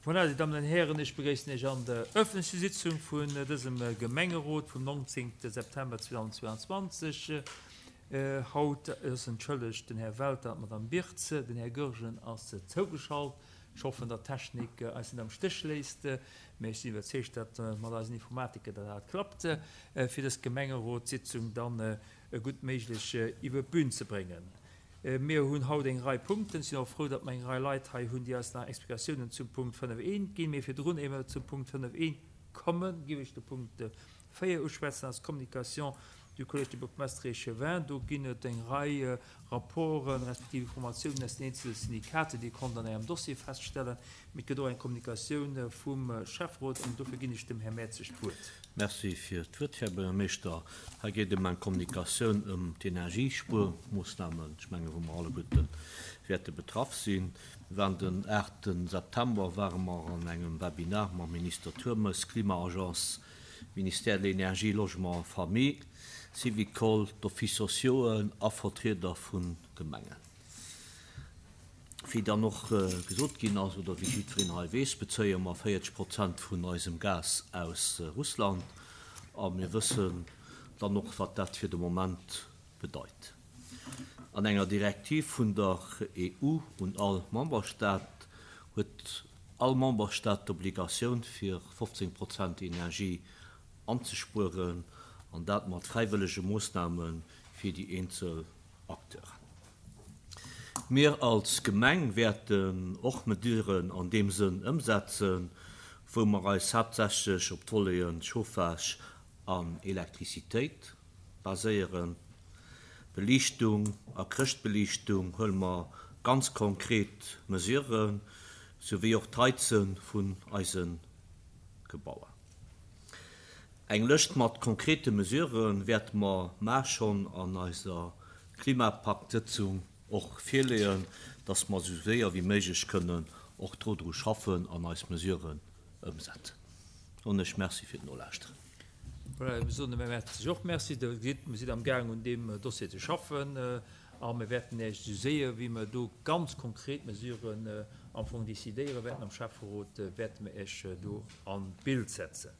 Voilà, Dir Dammen an Hären, ech begréissen Iech an der öffentlecher Sitzung vun dësem Gemengerot vum 19. September 2022. Haut ass entschëllegt den Här Welter an d'Madame Birtz. Den Här Goergen ass zougeschalt. Ech hoffen, datt d'Technik eis net am Stéch léisst, mä ech sinn iwwerzeegt, datt mat eisen Informatiker dat alt klappt, fir dës Gemengerotssitzung dann gutt méiglech iwwer d'Bün ze bréngen. Mir hunn haut eng Rei Punkten. Ech sinn och frou, datt mer eng Rei Leit hei hunn, déi eis nach Explikatiounen zum Punkt 5 I ginn. Mee virdrun, éier mer zum Punkt 5 I kommen, géif ech de Punkt 4 uschwätzen, dat ass d'Communication du Collège des bourgmestres et échevins. Do ginn et eng Rei Rapporten respektiv Informatiounen aus den eenzele Syndikaten, déi Dir konnt an Ärem Dossier feststellen. Mee et gëtt och eng Kommunikatioun vum Schäfferot an dofir ginn ech dem Här Mertzig d'Wuert. Merci fir d'Wuert, Här Buergermeeschter. Hei geet ëm eng Kommunikatioun ëm d'Energiespuermoossnamen, ech mengen, wou mer alleguerte wäerte betraff sinn. Mir waren den 8 September ware mer an engem Webinar mam Minister Turmes, Klima-Agence, Ministère de l'Énergie, Logement, Famille, Syvicol, d'Offices sociauxen a Vertrieder vu Gemengen. Wéi dann och gesot ginn ass, oder wéi jiddwereen hei weess, bezéie mer 40 Prozent vun eisem Gas aus Russland. A mir wëssen dann och, wat dat fir de Moment bedeit. An enger Direktiv vun der EU un all Memberstaat huet all Memberstaat d'Obligatioun, fir 15 Prozent Energie anzespueren, an dat mat fräiwëllege Moossname fir déi eenzel Acteuren. Mir als Gemeng wäerten och Mesuren an deem Sënn ëmsetzen, wou mer eis haaptsächlech op d'Voleten Chauffage an Elektrizitéit baséieren. Beliichtung a Chrëschtbeliichtung huele mer ganz konkret Mesuren, souwéi och d'Heize vun eise Gebauer. Eng Lëscht mat konkrete Mesurë wäerte mer mar schonn an eiser Klimapakt-Sëtzung och virleeën, dass mer esou séier wéi méiglech kënnen och dro dru schaffen an eis Mesuren ëmsetzen. Soen ech Merci fir d'Nolauschteren. Voilà, mir soen dem Här Mertens och Merci. Der gesitt, mir sinn amgaang un deem Dossier ze schaffen a mir wäerten Iech esou séier wéi mer do ganz konkret Mesuren am Fong decidéiere wäerten am Schäfferot, wäerte mer Iech do an d'Bild setzen.